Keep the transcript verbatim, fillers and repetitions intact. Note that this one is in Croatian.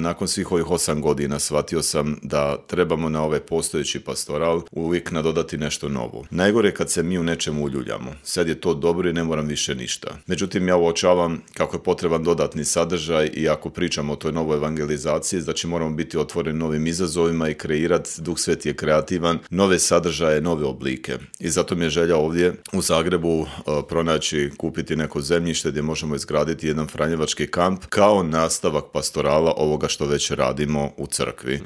Nakon svih ovih osam godina shvatio sam da trebamo na ovaj postojeći pastoral uvijek nadodati nešto novo. Najgore je kad se mi u nečemu uljuljamo. Sad je to dobro i ne moram više ništa. Međutim, ja uočavam kako je potreban dodatni sadržaj i ako pričamo o toj novoj evangelizaciji, znači moramo biti otvoreni novim izazovima i kreirati, Duh Sveti je kreativan, nove sadržaje, nove oblike. I zato mi je želja ovdje u Zagrebu uh, pronaći, kupiti neko zemljište gdje možemo izgraditi jedan franjevački kamp kao nastavak pastorala ovoga što već radimo u crkvi.